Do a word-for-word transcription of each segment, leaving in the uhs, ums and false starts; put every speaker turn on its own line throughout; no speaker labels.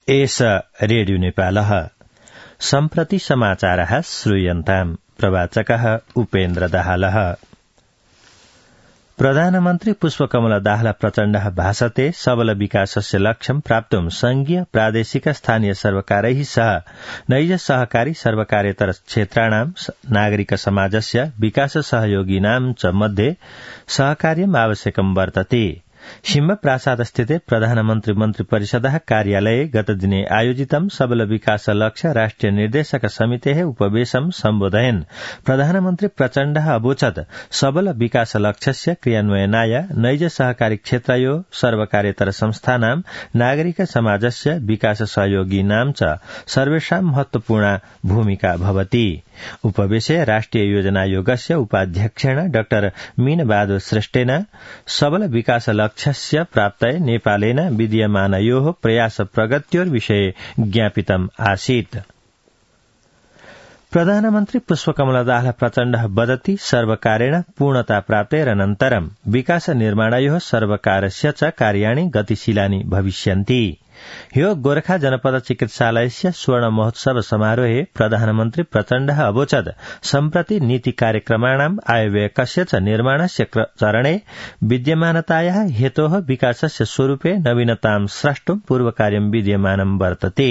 एष रेडियो नेपालः सम्प्रति समाचारः श्रूयन्ताम् प्रवाचकः उपेन्द्र दाहालः। प्रधानमन्त्री पुष्पकमल दाहाल प्रचण्डः भाषते सबल विकासस्य लक्ष्यं प्राप्तुं संघीय प्रादेशिक स्थानीय सर्वकारैः सह नैज सहकारी सर्वकारेतर क्षेत्राणां नागरिक समाजस्य विकास सहयोगिनां च मध्ये सहकार्यम् आवश्यकं वर्तते। सिंह प्रासाद स्थिते प्रधानमन्त्री मन्त्री परिषदः कार्यालये गतदिने आयोजितं सबल विकास लक्ष्य राष्ट्रिय निर्देशक समितेः उपवेशं सम्बोधयन् प्रधानमन्त्री प्रचण्डः अवोचत् सबल विकास लक्ष्यस्य क्रियान्वयनाय नैज सहकारी क्षेत्रयो सर्वकारेतर संस्थानां नागरिक समाजस्य विकास सहयोगिनां च सर्वेषां महत्वपूर्णा भूमिका भवति। उपवेशे राष्ट्रिय योजना आयोगस्य उपाध्यक्षेण डाक्टर मीनबहादुर श्रेष्ठेन सबल विकास लक्ष्यस्य प्राप्तये नेपालेन विद्यमानयोः प्रयास प्रगत्योर्विषये ज्ञापितम् आसीत्। प्रधानमन्त्री पुष्पकमल दाहाल प्रचण्डः वदति सर्वकारेण पूर्णता प्राप्तेरनन्तरं विकास निर्माणयोः सर्वकारस्य च कार्याणि गतिशीलानि भविष्यन्ति। ह्यो गोरखा जनपद चिकित्सालयस्य स्वर्ण महोत्सव समारोहे प्रधानमन्त्री प्रचण्डः अवोचत् सम्प्रति नीति कार्यक्रमाणाम् आयव्ययकस्य च निर्माणस्य चरणे विद्यमानतायाः हेतोः विकासस्य स्वरूपे नवीनतां स्रष्टुं पूर्वकार्यं विद्यमानं वर्तते।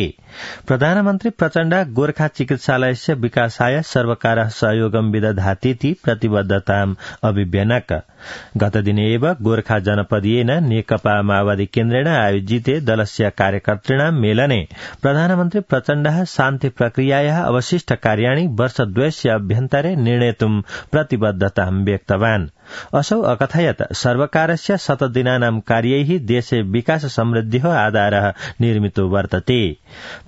प्रधानमन्त्री प्रचण्डः गोरखा चिकित्सालयस्य विकासाय सर्वकारः सहयोगं विदधातीति प्रतिबद्धताम् अभिव्यनक। गतदिने एव गोरखा जनपदीयेन नेकपा माओवादी केन्द्रेण आयोजिते दलस्य कार्यकर्तॄणां मेलने प्रधानमन्त्री प्रचण्डः शान्ति प्रक्रियायाः अवशिष्ट कार्याणि वर्षद्वयस्य अभ्यन्तरे निर्णेतुं प्रतिबद्धतां व्यक्तवान्। असौ अकथयत् सर्वकारस्य शतदिनानां कार्यैः देशे विकास समृद्धिः आधारः निर्मितो वर्तते।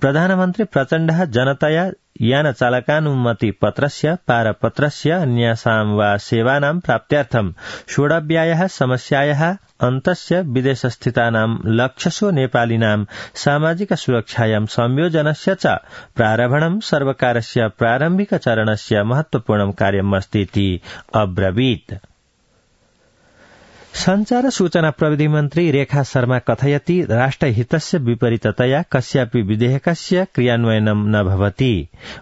प्रधानमन्त्री प्रचण्डः जनतया यान चालकानुमति पत्रस्य पारपत्रस्य अन्यासां वा सेवानां प्राप्त्यर्थं षोडव्यायाः समस्यायाः अन्तस्य विदेशस्थितानां लक्षशो नेपालिनां सामाजिक सुरक्षायां संयोजनस्य च प्रारम्भणं सर्वकारस्य प्रारम्भिक चरणस्य महत्वपूर्णं कार्यमस्ति इति अब्रवीत्। संचार सूचना प्रविधि मन्त्री रेखा शर्मा कथयति राष्ट्रहितस्य विपरीततया कस्यापि विधेयकस्य क्रियान्वयनं न भवति।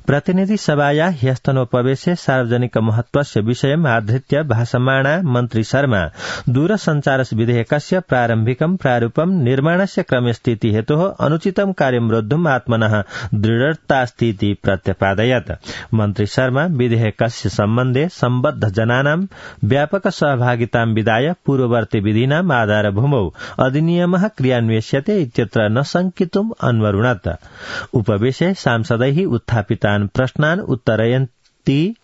प्रतिनिधि सभाया ह्यस्तनोपवेशे सार्वजनिक महत्वस्य विषयम् आधृत्य भाषमाणा मन्त्री शर्मा दूरसञ्चार विधेयकस्य प्रारम्भिकं प्रारूपं निर्माणस्य क्रमे स्थिति हेतोः अनुचितं कार्यं रोद्धुम् आत्मनः दृढतास्ति इति प्रत्यपादयत्। मन्त्री शर्मा विधेयकस्य सम्बन्धे सम्बद्ध जनानां व्यापक सहभागितां विधाय पूर्ववर्ती विधीनाम् आधारभूमौ अधिनियमः क्रियान्वेष्यते इत्यत्र न शङ्कितुम् अन्वरुणत्। उपवेशे सांसदैः उत्थापितान् प्रश्नान् उत्तरयन्ती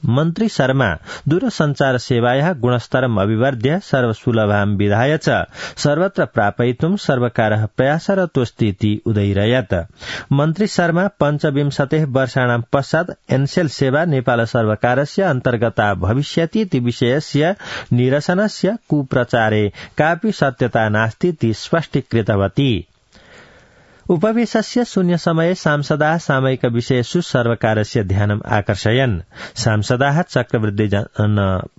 मन्त्री शर्मा दूरसञ्चार सेवायाः गुणस्तरम् अभिवर्ध्य सर्वसुलभां विधाय च सर्वत्र प्रापयितुं सर्वकारः प्रयासरतोऽस्ति इति उदैरयत्। मन्त्री शर्मा पञ्चविंशतेः वर्षाणां पश्चात् एन्सेल सेवा नेपाल सर्वकारस्य अन्तर्गता भविष्यति इति विषयस्य निरसनस्य कुप्रचारे कापि सत्यता नास्ति इति स्पष्टीकृतवती। उपवेशस्य शून्य समये सांसदाः सामयिक विषयेषु सर्वकारस्य ध्यानम् आकर्षयन्। सांसदाः चक्रवृद्धि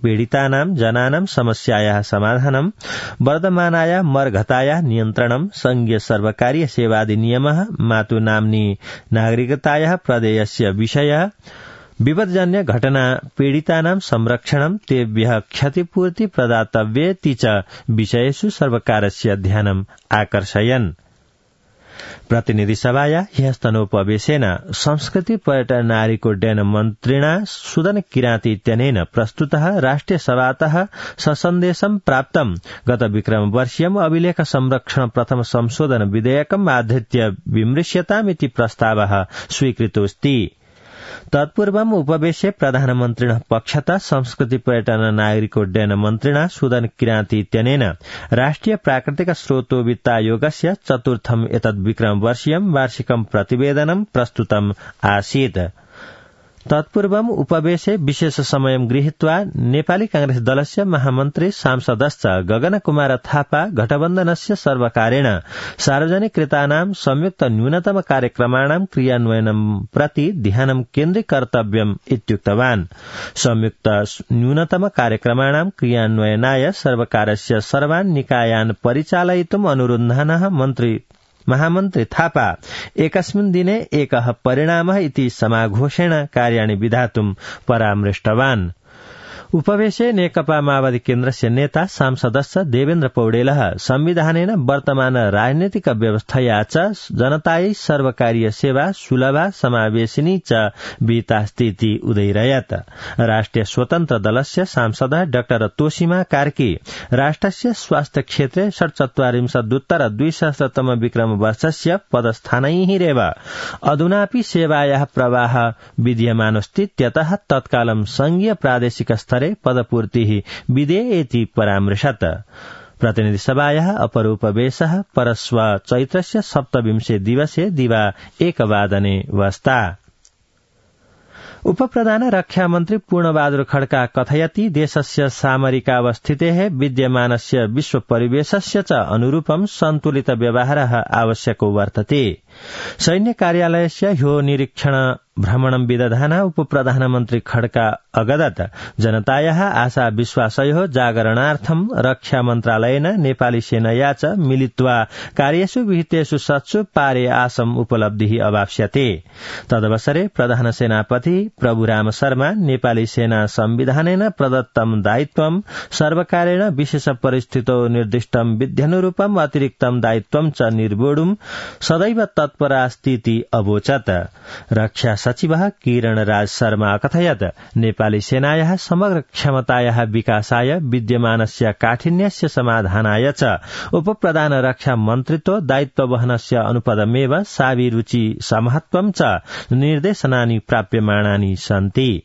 पीडितानां जनानां समस्यायाः समाधानं, वर्धमानाया मर्घतायाः नियन्त्रणं, संघीय सर्वकारीय सेवाधिनियमः, मातु नाम्नी नागरिकतायाः प्रदेयस्य विषयः, विपदजन्य घटना पीडितानां संरक्षणं, तेभ्यः क्षतिपूर्ति प्रदातव्येति च विषयेषु सर्वकारस्य ध्यानम् आकर्षयन्। प्रतिनिधि सभाया ह्यस्तनोपवेशेन संस्कृति पर्यटन नागरिकोड्डयन मन्त्रिणा सुदन किराती इत्यनेन प्रस्तुतः राष्ट्रिय सभातः ससन्देशं प्राप्तं गत विक्रम वर्षीयम् अभिलेख संरक्षण प्रथम संशोधन विधेयकम् आधृत्य विमृश्यतामिति प्रस्तावः स्वीकृतोऽस्ति। तत्पूर्वम् उपवेशे प्रधानमन्त्रिणः पक्षतः संस्कृति पर्यटन नागरिकोड्डयन मन्त्रिणा सुदन किराती इत्यनेन राष्ट्रिय प्राकृतिक स्रोतो वित्तायोगस्य चतुर्थम् एतद् विक्रम वर्षीयम् वार्षिकं प्रतिवेदनं प्रस्तुतम् आसीत्। तत्पूर्वम् उपवेशे विशेष समयं गृहीत्वा नेपाली कांग्रेस दलस्य महामन्त्री सांसदश्च गगन कुमार थापा गठबन्धनस्य सर्वकारेण सार्वजनिकृतानां संयुक्त न्यूनतम कार्यक्रमाणां क्रियान्वयनं प्रति ध्यानं केन्द्रीकर्तव्यम् इत्युक्तवान्। संयुक्त न्यूनतम कार्यक्रमाणां क्रियान्वयनाय सर्वकारस्य सर्वान् निकायान् परिचालयितुम् अनुरुन्धानः मन्त्री महामन्त्री थापा एकस्मिन् दिने एकः परिणामः इति समाघोषेण कार्याणि विधातुं परामृष्टवान्। उपवेशे नेकपा माओवादी केन्द्रस्य नेता सांसदस्य देवेन्द्र पौडेलः संविधानेन वर्तमान राजनीतिक व्यवस्थया च जनतायै सर्वकारीय सेवा सुलभा समावेशिनी च विहितास्ति उदैरयत्। राष्ट्रिय स्वतन्त्र दलस्य सांसदः डाक्टर तोशिमा कार्की राष्ट्रस्य स्वास्थ्य क्षेत्रे षट्चत्वारिंशदुत्तर द्विसहस्रतम विक्रम वर्षस्य पदस्थानैरेव अधुनापि सेवायाः प्रवाह विद्यमानोऽस्तीत्यतः तत्कालं संघीय प्रादेशिक स्तरे पदपूर्तिः विधेयेति परामृशत्। प्रतिनिधिसभायाः अपर उपवेशः परश्व चैत्रस्य सप्तविंशे दिवसे दिवा एकवादने वस्ता। उपप्रधान रक्षा मन्त्री पूर्णबहादुर खड्का कथयति देशस्य सामरिकावस्थितेः विद्यमानस्य विश्व परिवेशस्य च अनुरूपं सन्तुलित व्यवहारः आवश्यको वर्तते। सैन्य कार्यालयस्य ह्यो निरीक्षण भ्रमणं विदधान उपप्रधानमन्त्री खड्का अगदत् जनतायाः आशा विश्वासयोः जागरणार्थं रक्षा मन्त्रालयेन नेपाली सेनया च मिलित्वा कार्येषु विहितेषु सत्सु पारे आसम् उपलब्धिः अवाप्स्यते। तदवसरे प्रधान सेनापति प्रभुराम शर्मा नेपाली सेना संविधानेन प्रदत्तं दायित्वं सर्वकारेण विशेष परिस्थितौ निर्दिष्टं विध्यनुरूपम् अतिरिक्तं दायित्वं च निर्वोढुं सदैव तत्परास्तीति अवोचत्। रक्षा सचिवः किरण राज शर्मा अकथयत् नेपाली सेनायाः समग्र क्षमतायाः विकासाय विद्यमानस्य काठिन्यस्य समाधानाय च उपप्रधान रक्षा मन्त्रित्व दायित्ववहनस्य अनुपदमेव साभिरुचि समहत्वं च निर्देशनानि प्राप्यमाणानि सन्ति।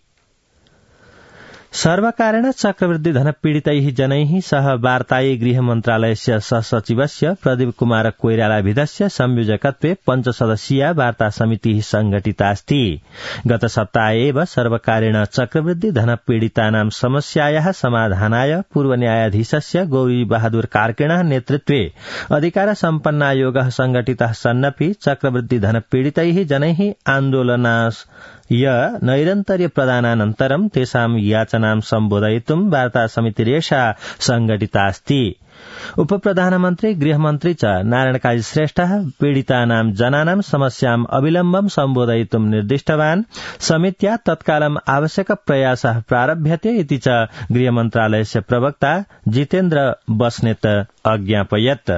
सर्वकारेण चक्रवृद्धि धन पीडितैः जनैः सह वार्तायै गृह मन्त्रालयस्य सहसचिवस्य प्रदीप कुमार कोइरालाभिधस्य संयोजकत्वे पञ्चसदस्यीया वार्ता समितिः संघटितास्ति। गत सप्ताहे एव सर्वकारेण चक्रवृद्धि धन पीडितानां समस्यायाः समाधानाय पूर्व न्यायाधीशस्य गौरी बहादुर कार्किणः नेतृत्वे अधिकार सम्पन्नायोगः संघटितः सन्नपि चक्रवृद्धि धन पीडितैः जनैः आन्दोलनास् य नैरन्तर्य प्रदानानन्तरं तेषां याचनां सम्बोधयितुं वार्ता समितिरेषा संघटितास्ति। उपप्रधानमन्त्री गृहमन्त्री च नारायण श्रेष्ठः पीडितानां जनानां समस्याम् अविलम्बं सम्बोधयितुं निर्दिष्टवान्। समित्या तत्कालम् आवश्यक प्रयासः प्रारभ्यते इति च गृहमन्त्रालयस्य प्रवक्ता जितेन्द्र बस्नेत अज्ञापयत्।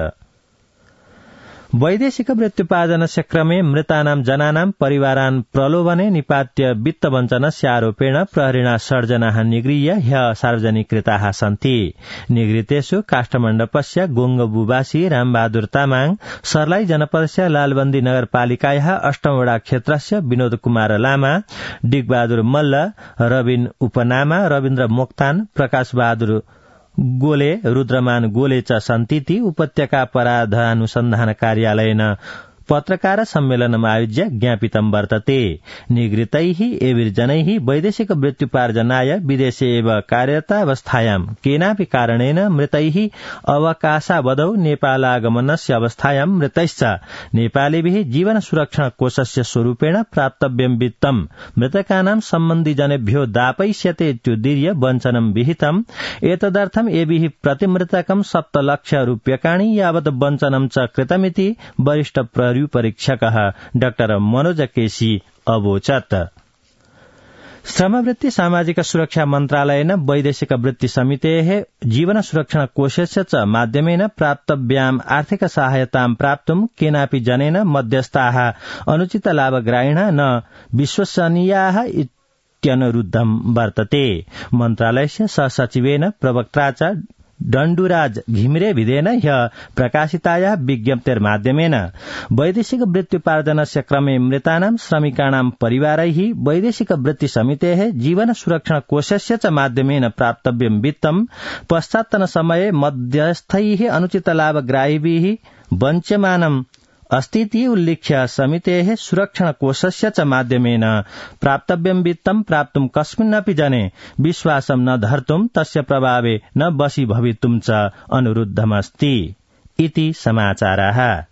वैदेशिक मृत्युपार्जनस्य क्रमे मृतानां जनानां परिवारान् प्रलोभने निपात्य वित्तवञ्चनस्य आरोपेण प्रहरिणा षड् जनाः निगृह्य ह्यः सार्वजनिकृताः सन्ति। निगृहीतेषु काष्ठमण्डपस्य गोङ्गबुवासी रामबहादुर तामाङ, सर्लाही जनपदस्य लालबन्दी नगरपालिकायाः अष्टमवटा क्षेत्रस्य विनोद कुमार लामा, डिगबहादुर मल्ल, रविन उपनामा, रविन्द्र मोक्तान, प्रकाश बहादुर गोले, रुद्रमान गोले च सन्तीति उपत्यका अपराधानुसन्धान कार्यालयेन पत्रकार सम्मेलनम् आयोज्य ज्ञापितं वर्तते। निगृहीतैः एभिर्जनैः वैदेशिक मृत्युपार्जनाय विदेशे एव कार्यरतावस्थायां केनापि कारणेन मृतैः अवकाशावधौ नेपालागमनस्य अवस्थायां मृतैश्च नेपालीभिः जीवन सुरक्षण कोषस्य स्वरूपेण प्राप्तव्यं वित्तं मृतकानां सम्बन्धिजनेभ्यो दापयिष्यते इत्युदीर्य वञ्चनं विहितम्। एतदर्थम् एभिः प्रतिमृतकं सप्तलक्ष रूप्यकाणि यावत् वञ्चनं च कृतमिति वरिष्ठ परीक्षकः डाक्टर मनोज केसी अवोचत्। श्रमवृत्ति सामाजिक सुरक्षा मन्त्रालयेन वैदेशिक वृत्ति समितेः जीवन सुरक्षण कोषस्य च माध्यमेन प्राप्तव्याम् आर्थिक सहायतां प्राप्तुं केनापि जनेन मध्यस्थाः अनुचित लाभग्राहिणः न विश्वसनीयाः इत्यनुरुद्धं वर्तते। मन्त्रालयस्य सहसचिवेन प्रवक्त्रा च दण्डुराज घिमिरे विधेन ह्यः प्रकाशितायाः विज्ञप्तेर्माध्यमेन वैदेशिक वृत्त्युपार्जनस्य क्रमे मृतानां श्रमिकाणां परिवारैः वैदेशिक वृत्ति समितेः जीवन सुरक्षण कोषस्य च माध्यमेन प्राप्तव्यं वित्तं पश्चात्तन समये मध्यस्थैः अनुचित लाभग्राहिभिः वञ्च्यमानम् अस्तीति उल्लिख्य समितेः सुरक्षण कोषस्य च माध्यमेन प्राप्तव्यं वित्तं प्राप्तुं कस्मिन्नपि जने विश्वासं न धर्तुं तस्य प्रभावे न वशी भवितुं च अनुरुद्धमस्ति इति समाचाराः।